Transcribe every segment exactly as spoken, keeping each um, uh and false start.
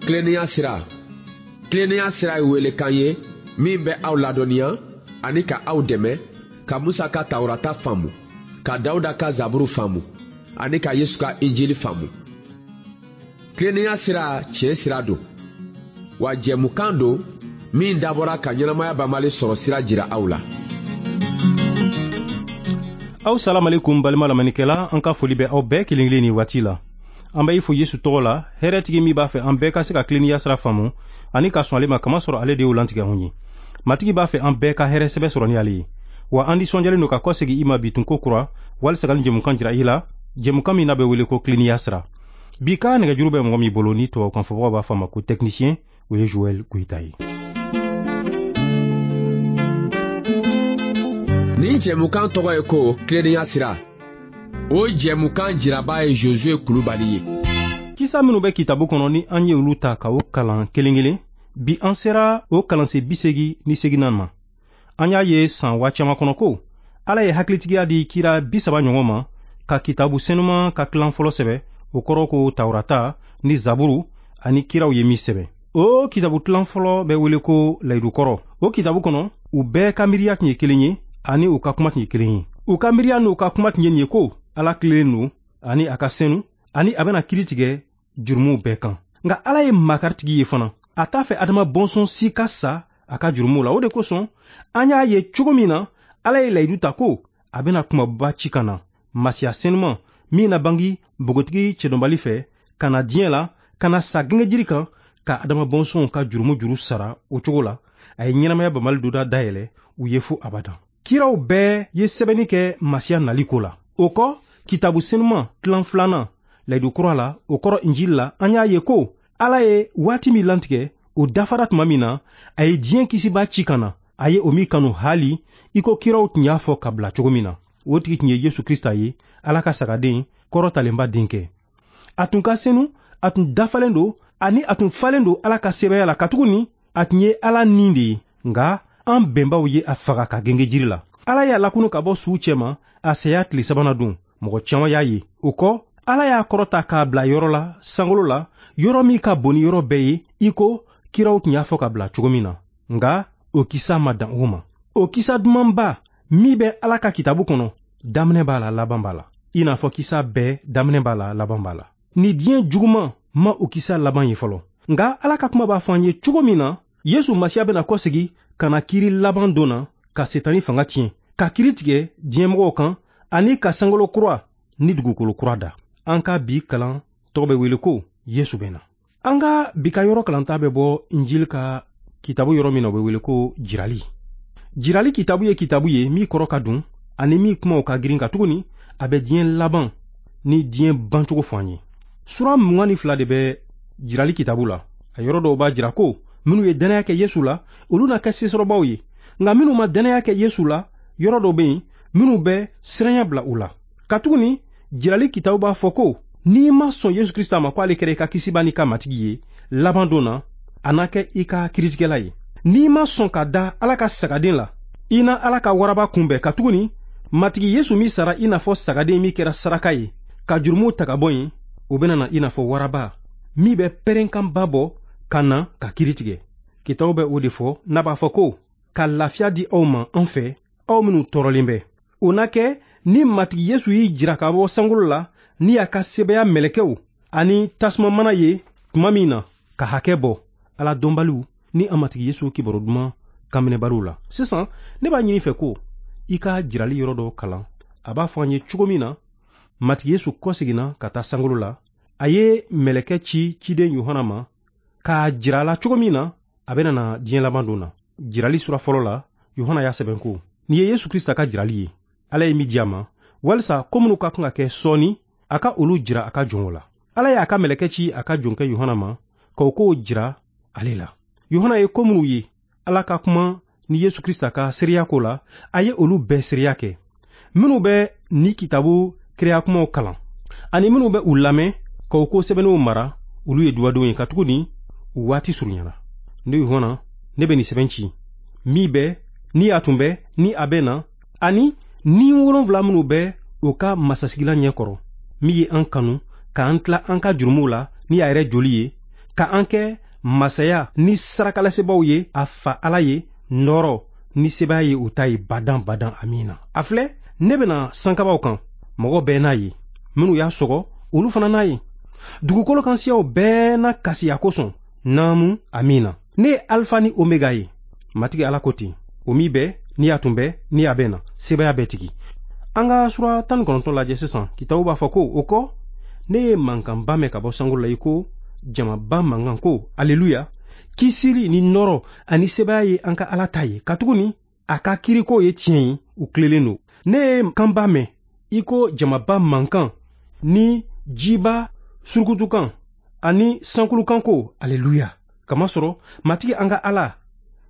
Tilennenya sira. Tilennenya sira ye welekan ye min bɛ aw ladɔnniya ani ka aw dɛmɛ ka Musa ka Tawurata faamu, ka Dawuda ka Zaburu faamu ani ka Yesu ka Injili faamu. Tilennenya sira tiɲɛ sira don, wa jɛmukan don min dabɔra ka ɲɛnamaya banbali sɔrɔ sira jira aw la. Aw salamalekum balima lamɛnnikɛla, an ka foli bɛ aw bɛɛ kelen kelen ni waati la. An bɛ i fo Yesu tɔgɔ la, hɛrɛtigi min b'a fɛ an bɛɛ ka se ka tilennenya sira faamu ani ka sɔn ale ma, kamasɔrɔ ale de y'o lantigɛ anw ye. Matigi b'a fɛ an bɛɛ ka hɛrɛ sɛbɛ sɔrɔ ni ale ye. Wa an nisɔndiyalen don ka kɔsegin i ma bi tun ko kura, walisa ka nin jɛmukan jira i la, jɛmukan min n'a bɛ wele ko tilennenya sira. Bi ka nɛgɛjuru bɛ mɔgɔ min bolo ni tubabukan fɔbagaw b'a fɔ a ma ko technicien, o ye Joël Goyita ye. Nin jɛmukan tɔgɔ ye ko tilennenya sira. O jɛmukan jiraba ye Josué Kulubali ye. Kisa minnu bɛ kitabu kɔnɔ ni an ye olu ta ka o kalan kelen kelen, bi an sera o kalansen bi seegin ni seeginnan ma. An y'a ye san waa caman kɔnɔ ko Ala ye hakilitigiya di kira bi saba ɲɔgɔn ma ka kitabu senuman ka kilan fɔlɔ sɛbɛ, o kɔrɔ ko Tawurata ni Zaburu ani kiraw ye min sɛbɛ. O kitabu kilan fɔlɔ bɛ wele ko Layidu kɔrɔ. O kitabu kɔnɔ, u bɛɛ ka miiriya tun ye kelen ye ani u ka kuma tun ye kelen ye. U ka miiriya n'u ka kuma tun ye nin ye ko Ala tilennen don ani a ka senu ani a bɛna kiiri tigɛ jurumuw bɛɛ kan. Nka Ala ye makaritigi ye fana. A t'a fɛ Adama bɔnsɔn si ka sa a ka jurumuw la. O de kosɔn an y'a ye cogo min na Ala ye layidu ta ko a bɛna kumaba ci ka na, Masiya senuman min na bangi npogotigi cɛdɔnbali fɛ ka na diɲɛ la, ka na sa gengejiri kan ka Adama bɔnsɔnw ka jurumu juru sara. O cogo la a ye ɲɛnamaya banbali donda dayɛlɛ u ye fo abadan. Kiraw bɛɛ ye sɛbɛnni kɛ Masiya nali ko la. O kɔ, kitabu senuman tilan filanan layidu kura la, o kɔrɔ Injili la, an y'a ye ko Ala ye waati min lantigɛ, o dafara tuma min na, a ye diɲɛ kisiba ci ka na, a ye o min kanu hali i ko kiraw tun y'a fɔ ka bila cogo min na. O tigi tun ye Yesu Krista ye, Ala ka sagaden kɔrɔtalenba denkɛ. A tun ka senu, a tun dafalen don ani a tun falen don Ala ka sebaaya la, katuguni a tun ye Ala ni de ye. Nka an bɛnbaw ye a faga ka genge jiri la. Ala y'a lakunu ka bɔ suw cɛma a saya tile sabanan don. Mɔgɔ caman y'a ye. O kɔ, Ala y'a kɔrɔta k'a bila yɔrɔ la sankolo la, yɔrɔ min ka bon ni yɔrɔ bɛɛ ye, i ko kiraw tun y'a fɔ ka bila cogo min na. Nka o kisa ma dan o ma. O kisa dumanba min bɛ Ala ka kitabu kɔnɔ, daminɛ b'a la, laban b'a la. I n'a fɔ kisa bɛɛ daminɛ b'a la, laban b'a la. Ni diɲɛ juguman ma o kisa laban ye fɔlɔ. Nka Ala ka kuma b'a fɔ an ye cogo min na, Yesu Masiya bɛna kɔsegin ka na kiiri laban don na, ka Setani fanga tiɲɛ, ka kiiri tigɛ diɲɛmɔgɔw kan ani ka sankolo kura ni dugukolo kura da. An ka bi kalan tɔgɔ bɛ wele ko Yesu bɛ na. An ka bi ka yɔrɔ kalanta bɛ bɔ Injili ka kitabu yɔrɔ min na, o bɛ wele ko Jirali. Jirali kitabu ye kitabu ye min kɔrɔ ka dun ani min kumaw ka girin, katuguni a bɛ diɲɛ laban ni diɲɛ bancogo fɔ an ye. Sura mugan ni fila de bɛ Jirali kitabu la. A yɔrɔ dɔw b'a jira ko minnu ye dannaya kɛ Yesu la, olu na kɛ sesɔrɔbaw ye. Nka minnu ma dannaya kɛ Yesu la, yɔrɔ dɔw bɛ yen minnu bɛ siranya bila u la. Katuguni Jirali kitabu b'a fɔ ko n'i ma sɔn Yesu Krista ma ko ale kɛra i ka kisiba n'i ka matigi ye, laban don na a na kɛ i ka kiiritigɛla ye. N'i ma sɔn ka da Ala ka sagaden la, i na Ala ka waraba kunbɛn, katuguni matigi Yesu min sara i n'a fɔ sagaden min kɛra saraka ye ka jurumuw ta ka bɔ yen, o bɛna na i n'a fɔ waraba min bɛ pɛrɛnkanba bɔ ka na ka kiiri tigɛ. Kitabu bɛ o de fɔ n'a b'a fɔ ko ka lafiya di aw ma an fɛ, aw minnu tɔɔrɔlen bɛ. O na kɛ ni matigi Yesu y'i jira ka bɔ sankolo la ni a ka sebaaya mɛlɛkɛw ani tasuma mana ye tuma min na ka hakɛ bɔ Ala dɔnbaliw ni a matigi Yesu kibaru duman kanminɛbaliw la. Sisan ne b'a ɲini fɛ ko i ka jirali yɔrɔ dɔ kalan. A b'a fɔ an ye cogo min na matigi Yesu kɔseginna ka taa sankolo la, a ye mɛlɛkɛ ci ciden Yohana ma k'a jira a la cogo min na a bɛna na diɲɛ laban don na. Jirali sura fɔlɔ la, Yohana y'a sɛbɛn ko nin ye Yesu Krista ka jirali ye, Ala ye min di a ma walisa ko minnu ka kan ka kɛ sɔɔni, a ka olu jira a ka jɔnw la. Ala y'a ka mɛlɛkɛ ci a ka jɔnkɛ Yohana ma k'o kow jira ale la. Yohana ye ko minnu ye Ala ka kuma ni Yesu Krista ka seereya ko la, a ye olu bɛɛ seereya kɛ. Minnu bɛ ni kitabu kiraya kumaw kalan ani minnu bɛ u lamɛn k'o ko sɛbɛnniw mara, olu ye dubadenw ye, katuguni u waati surunyana. Ne Yohana, ne bɛ nin sɛbɛn ci min bɛ ni a tun bɛ ni a bɛ na, ani ni wolonfila minnu bɛ o ka masasigilan ɲɛkɔrɔ, min ye an kanu k'an tila an ka jurumuw la ni a yɛrɛ joli ye, ka an kɛ masaya ni sarakalasebaaw ye a fa Ala ye, nɔɔrɔ ni sebaaya ye u ta ye badan badan. Amiina. A filɛ, ne bɛna sankabaw kan, mɔgɔ bɛɛ n'a ye, minnu y'a sɔgɔ olu fana n'a ye. Dugukolo kan siyaw bɛɛ na kasi a kosɔn. Naamu, amiina. Ne ye Alifa ni Omega ye, Matigi Ala ko ten, o min bɛ, ni a tun bɛ, ni a bɛ na, sebaaya bɛɛ tigi. An ka sura tan ni kɔnɔntɔn lajɛ sisan. Kitabu b'a fɔ ko o kɔ, ne ye mankanba mɛn ka bɔ sankolo la i ko jamaba mankan ko, aleluya, kisili ni nɔɔrɔ ani sebaaya ye an ka Ala ta ye, katuguni a ka kiriko ye tiɲɛ ye, u tilelen don. Ne ye kanba mɛn i ko jamaba mankan ni jiba surukutukan ani sankulukan ko, aleluya, kamasɔrɔ Matigi an ka Ala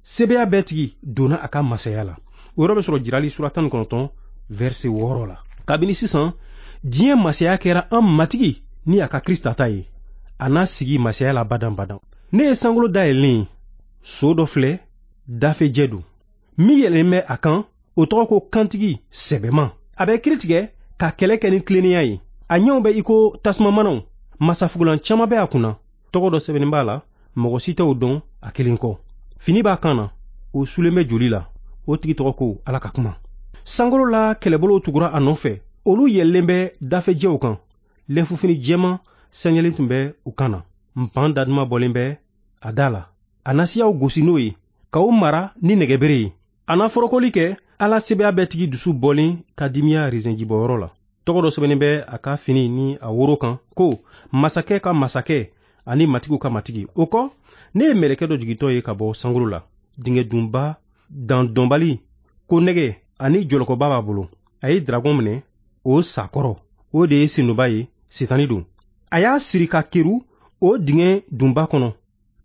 sebaaya bɛɛ tigi donna a ka masaya la. O yɔrɔ bɛ sɔrɔ Jirali sura tan ni kɔnɔntɔn verset wɔɔrɔ la. Kabini sisan diɲɛ masaya kɛra an Matigi ni a ka Krista ta ye, a n'a sigi masaya la badan badan. Ne ye sankolo dayɛlɛlen ye, so dɔ filɛ, dafejɛ don, min yɛlɛlen bɛ a kan, o tɔgɔ ko Kantigi sɛbɛman. A bɛ kiri tigɛ ka kɛlɛ kɛ ni tilennenya ye. A ɲɛw bɛ i ko tasumamanaw, masafugulan caman bɛ a kunna, tɔgɔ dɔ sɛbɛnnen b'a la, mɔgɔ si tɛ o dɔn a kelen kɔ. Fini b'a kan na, o sulen bɛ joli la, o tigi tɔgɔ ko Ala ka kuma. Sankolo la kɛlɛbolow tugura a nɔfɛ, olu yɛlɛlen bɛ dafejɛw kan, lɛnfufini jɛman sɛɲɛlen tun bɛ u kan na, npan daduma bɔlen bɛ a da la. A na siyaw gosi n'o ye, ka o mara ni nɛgɛbere ye. A na forokoli kɛ Ala sebaaya bɛɛ tigi dusu bɔlen ka dimiya rezɛnjibɔyɔrɔ la. Tɔgɔ dɔ sɛbɛnnen bɛ a ka fini ni a woro kan ko masakɛ ka masakɛ ani matigiw ka matigi. O kɔ, ne ye mɛlɛkɛ dɔ jigintɔ ye ka bɔ sankolo la, dingɛ dunba dandɔnbali ko nɛgɛ ani jɔlɔkɔba b'a bolo. A ye dragon minɛ o sakɔrɔ, o de ye senduba ye, Setani don. A y'a siri ka keru o dingɛ dunba kɔnɔ,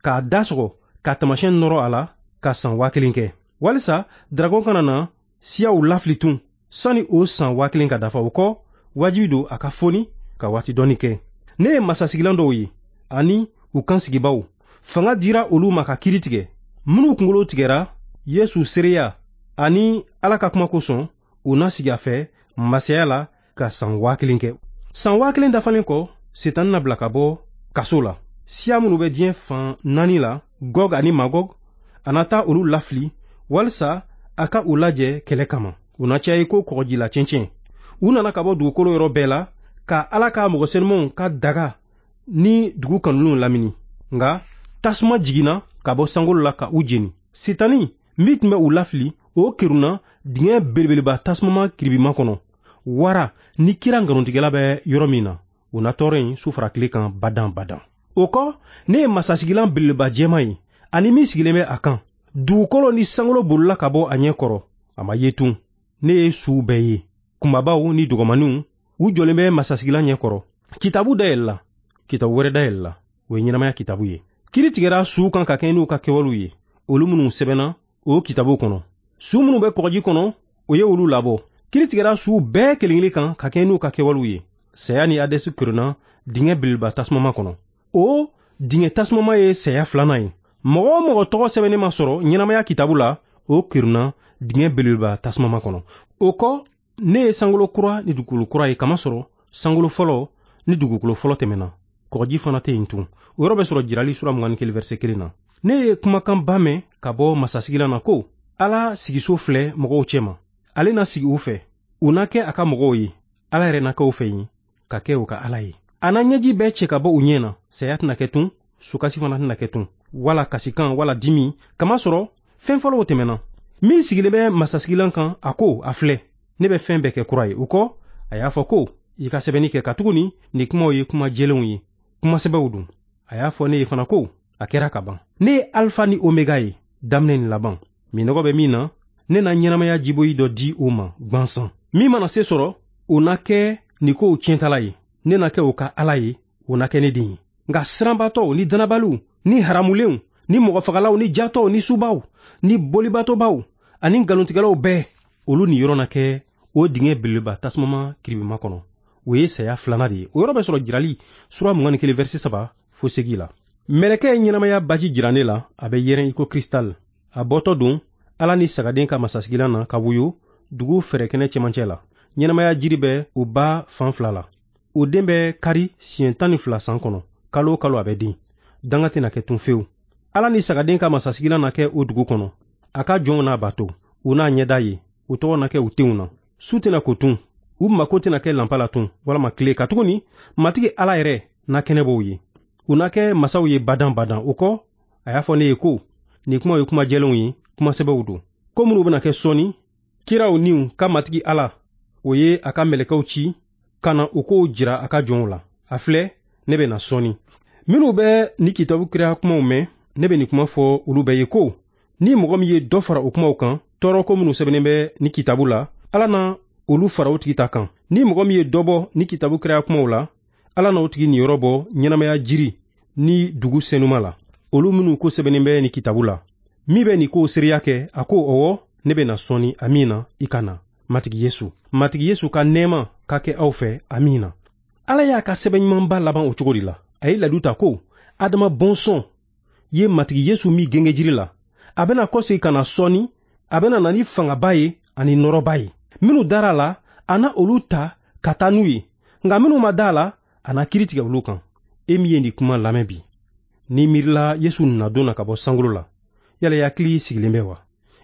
k'a da sɔgɔ ka taamasiyɛn nɔrɔ a la ka san waa kelen kɛ, walisa dragon kana na siyaw lafili tun sani o san waa kelen ka dafa. O kɔ, wajibi don a ka foni ka waati dɔɔni kɛ. Ne ye masasigilan dɔw ye ani u kansigibaw, fanga dira olu ma ka kiri tigɛ. Minnu kunkolo tigɛra Yesu seereya ani Ala ka kuma kosɔn, u na sigi a fɛ masaya la ka san waa kelen kɛ. San waa kelen dafalen kɔ, Setani na bila ka bɔ kaso la. Siya minnu bɛ diɲɛ fan naani la, Gog ani Magog, a na taa olu lafili walisa a ka u lajɛ kɛlɛ kama. U na caya i ko kɔgɔjila cɛncɛn. U nana ka bɔ dugukolo yɔrɔ bɛɛ la ka Ala ka mɔgɔ senumanw ka daga ni dugu kanulenw lamini. Nka tasuma jiginna ka bɔ sankolo la ka u jeni. Setani min tun bɛ u lafili, o kerunna dingɛ belebeleba tasumama kiribima kɔnɔ. Wara ni kira nkalontigɛla bɛ yɔrɔ min na, o na tɔɔrɔ in su fara tile kan badan badan. O kɔ, ne ye masasigilan belebeleba jɛman ye ani min sigilen bɛ a kan. Dugukolo ni sankolo bolila ka bɔ a ɲɛ kɔrɔ, a ma ye tun. Ne ye suw bɛɛ ye, kunbabaw ni dɔgɔmaninw, u jɔlen bɛ masasigilan ɲɛ kɔrɔ. Kitabu dayɛlɛla, kitabu wɛrɛ dayɛlɛla, o ye ɲɛnamaya kitabu ye. Kiri tigɛra suw kan ka kɛɲɛ n'u ka kɛwalew ye, olu minnu sɛbɛnna o kitabu kɔnɔ. Su minnu bɛ kɔgɔji kɔnɔ, o ye olu labɔ. Kiri tigɛra suw bɛɛ kelen kelen kan ka kɛɲɛ n'u ka kɛwalew ye. Saya ni Hadɛsi kerunna dingɛ belebeleba tasumama kɔnɔ. O dingɛ tasumama ye saya filanan ye. Mɔgɔ o mɔgɔ tɔgɔ sɛbɛnnen ma sɔrɔ ɲɛnamaya kitabu la, o kerunna dingɛ belebeleba tasumama kɔnɔ. O kɔ, ne ye sankolo kura ni dugukolo kura ye, kamasɔrɔ sankolo fɔlɔ ni dugukolo fɔlɔ tɛmɛna, kɔgɔji fana tɛ yen tun. O yɔrɔ bɛ sɔrɔ Jirali sura mugan ni kelen verset kelen na. Ne ye kumakanba mɛn ka bɔ masasigilan na ko, Ala sigiso filɛ mɔgɔw cɛma, ale na sigi u fɛ, u na kɛ a ka mɔgɔw ye, Ala yɛrɛ na kɛ u fɛ yen ka kɛ u ka Ala ye. A na ɲɛji bɛɛ cɛ ka bɔ u ɲɛ na, saya tɛna kɛ tun, sukasi fana tɛna kɛ tun, wala kasikan wala dimi, kamasɔrɔ fɛn fɔlɔw tɛmɛna. Min sigilen bɛ masasigilan kan, a ko, a filɛ, ne bɛ fɛn bɛɛ kɛ kura ye. O kɔ, a y'a fɔ ko, i ka sɛbɛnni kɛ, katuguni nin kumaw ye kuma jɛlenw ye, kuma sɛbɛw don. A y'a fɔ ne ye fana ko, a kɛra ka ban. Ne ye Alifa ni Omega ye, daminɛ ni laban. Minɔgɔ bɛ min na, ne na ɲɛnamaya jiboyi dɔ di o ma gwansan. Min mana se sɔrɔ, o na kɛ nin kow tiɲɛtala ye. Ne na kɛ o ka Ala ye, o na kɛ ne den ye. Nka siranbatɔw ni danabaliw ni haramulenw ni mɔgɔfagalaw ni jatɔw ni subaw ni bolibatɔbaw ani nkalontigɛlaw bɛɛ, olu ni yɔrɔ na kɛ o dingɛ belebeleba tasumama kiribima kɔnɔ. O ye saya filanan de ye. O yɔrɔ bɛ sɔrɔ Jirali sura mugan ni kelen verset saba fo segin la. Mɛlɛkɛ ye ɲɛnamaya baji jira ne la, a bɛ yɛrɛn i ko kristal. A bɔtɔ don Ala ni sagaden ka masasigilan na ka woyo dugu fɛrɛkɛnɛ cɛmancɛ la. Ɲɛnamaya jiri bɛ o ba fan fila la. O den bɛ kari siɲɛ tan ni fila san kɔnɔ, kalo o kalo a bɛ den. Danga tɛna kɛ tun fewu. Ala ni sagaden ka masasigilan na kɛ o dugu kɔnɔ. A ka jɔnw n'a bato, u n'a ɲɛda ye, u tɔgɔ na kɛ u tenw na. Su tɛna ko tun, u mako tɛna kɛ lanpa la tun, walama tile, katuguni Matigi Ala yɛrɛ na kɛnɛ bɔ u ye. U na kɛ masaw ye badan badan. O kɔ, a y'a fɔ ne ye ko, nin kumaw ye kuma jɛlenw ye, kuma sɛbɛw don. Ko minnu bɛna kɛ sɔɔni, kiraw niw ka Matigi Ala, o ye a ka mɛlɛkɛw ci ka na o kow jira a ka jɔnw la. A filɛ, ne bɛ na sɔɔni. Minnu bɛ ni kitabu kiraya kumaw mɛn, ne bɛ nin kuma fɔ olu bɛɛ ye ko, ni mɔgɔ min ye dɔ fara o kumaw kan, tɔɔrɔko minnu sɛbɛnnen bɛ ni kitabu la, Ala na olu fara o tigi ta kan. Ni mɔgɔ min ye dɔ bɔ ni kitabu kiraya kumaw la, Ala na o tigi niyɔrɔ bɔ ɲɛnamaya jiri ni dugu senuma la. Olu minnu ko sɛbɛnnen bɛ ni kitabu la, min bɛ nin kow seereya kɛ, a ko ɔwɔ, ne bɛ na sɔɔni. Amiina, i ka na. Matigi Yesu, Matigi Yesu ka nɛɛma ka kɛ aw fɛ. Amiina. Ala y'a ka sɛbɛn ɲumanba laban o cogo de la. A ye layidu ta ko Adama bɔnsɔn ye Matigi Yesu min genge jiri la, a bɛna kɔsegin ka na sɔɔni, a bɛna na ni fangaba ye ani nɔrɔba ye. Minnu dara a la, a na olu ta ka taa n'u ye, nka minnu ma da a la, a na kiiri tigɛ olu kan. E min ye nin kuma lamɛn bi, n'i miirila Yesu nadon na ka bɔ sankolo la, yala i hakili sigilen bɛ wa?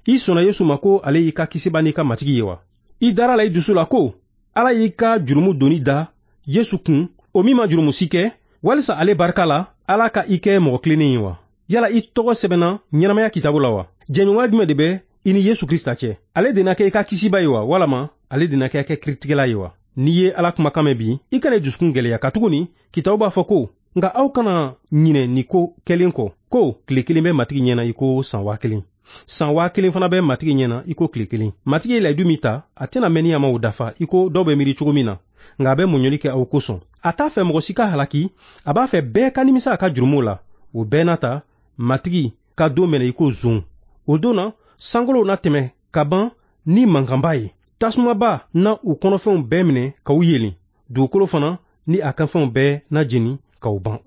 I sɔnna Yesu ma ko ale y'i ka kisiba n'i ka Matigi ye wa? I dara la i dusu la ko Ala y'i ka jurumu doni da Yesu kun, o min ma jurumu si kɛ, walisa ale barika la Ala ka i kɛ mɔgɔ tilennen ye wa? Yala i tɔgɔ sɛbɛnna ɲɛnamaya kitabu la wa? Jɛɲɔgɔnya jumɛn de bɛ i ni Yesu Krista cɛ? Ale de na kɛ i ka kisiba ye wa, walama ale de na kɛ i ka kiritigɛla ye wa? N'i ye Ala kumakan mɛn bi, i kana i dusukun gɛlɛya, katuguni kitabu b'a fɔ ko, nka aw kana ɲinɛ nin ko kɛlen kɔ, ko tile kelen bɛ Matigi ɲɛna i ko san waa kelen, san waa kelen fana bɛ Matigi ɲɛna i ko tile kelen. Matigi ye layidu min ta, a tɛna mɛn ni a ma o dafa i ko dɔw bɛ miiri cogo min na, nka a bɛ muɲuli kɛ aw kosɔn. A t'a fɛ mɔgɔ si ka halaki, a b'a fɛ bɛɛ ka nimisa a ka jurumuw la. O bɛɛ n'a ta, Matigi ka don bɛna i ko zon. O don na, sankolow na tɛmɛ ka ban ni mankanba ye. Tasumaba na u kɔnɔfɛnw bɛɛ minɛ ka u yelen. Dugukolo fana ni a kanfɛnw bɛɛ na jeni ka u ban.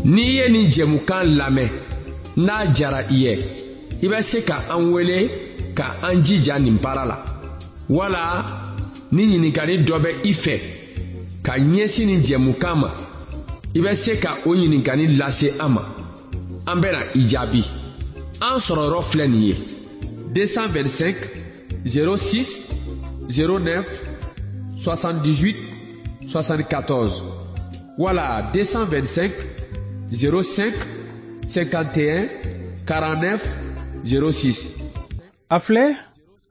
N'i ye nin jɛmukan lamɛn, n'a jara i ye, i bɛ se ka an wele ka an jija nin baara la. Wala ni ɲininkali dɔ bɛ i fɛ ka ɲɛsin nin jɛmukan ma, i bɛ se ka o ɲininkali lase an ma. An bɛna i jaabi. An sɔrɔ yɔrɔ filɛ nin ye: deux cent vingt-cinq zéro six zéro neuf soixante-dix-huit soixante-quatorze wala deux cent vingt-cinq zéro cinq cinquante et un quarante-neuf zéro six. A filɛ,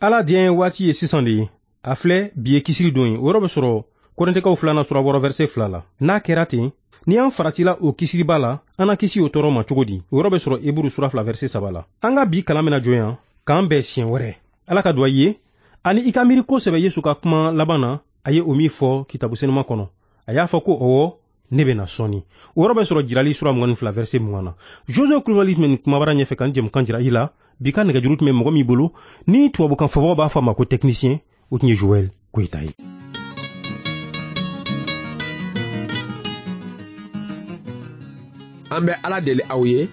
Ala diɲɛ waati ye sisan de ye. A filɛ, bi ye kisili don ye. O yɔrɔ bɛ sɔrɔ Kɔrɛntɛkaw filanan sura wɔɔrɔ verset fila la. N'a kɛra ten, ni an faratila o kisiliba la, an na kisi o tɔɔrɔ ma cogo di? O yɔrɔ bɛ sɔrɔ Eburu sura fila verset saba la. An ka bi kalan bɛna jɔ yan, k'an bɛn siɲɛ wɛrɛ. Ala ka duwa i ye, ani i ka miiri kosɛbɛ Yesu ka kuma laban na, a ye o min fɔ kitabu senuma kɔnɔ. A y'a fɔ ko ɔwɔ, ne bɛna sɔɔni. O yɔrɔ bɛ sɔrɔ Jirali sura mugan ni fila verset mugan na. Joseph Kulibali tun bɛ nin kumabara ɲɛfɛ ka nin jɛmukan jira i la. Bi ka nɛgɛjuru tun bɛ mɔgɔ min bolo, ni tubabukan fɔbagaw b'a fɔ a ma ko technicien, o tun ye Joël Koyita ye. An bɛ Ala deli aw ye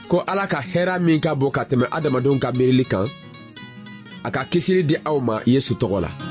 ko Ala ka hɛrɛ min ka bon ka tɛmɛ adamadenw ka miirili kan, a ka kisili di aw ma Yesu tɔgɔ la.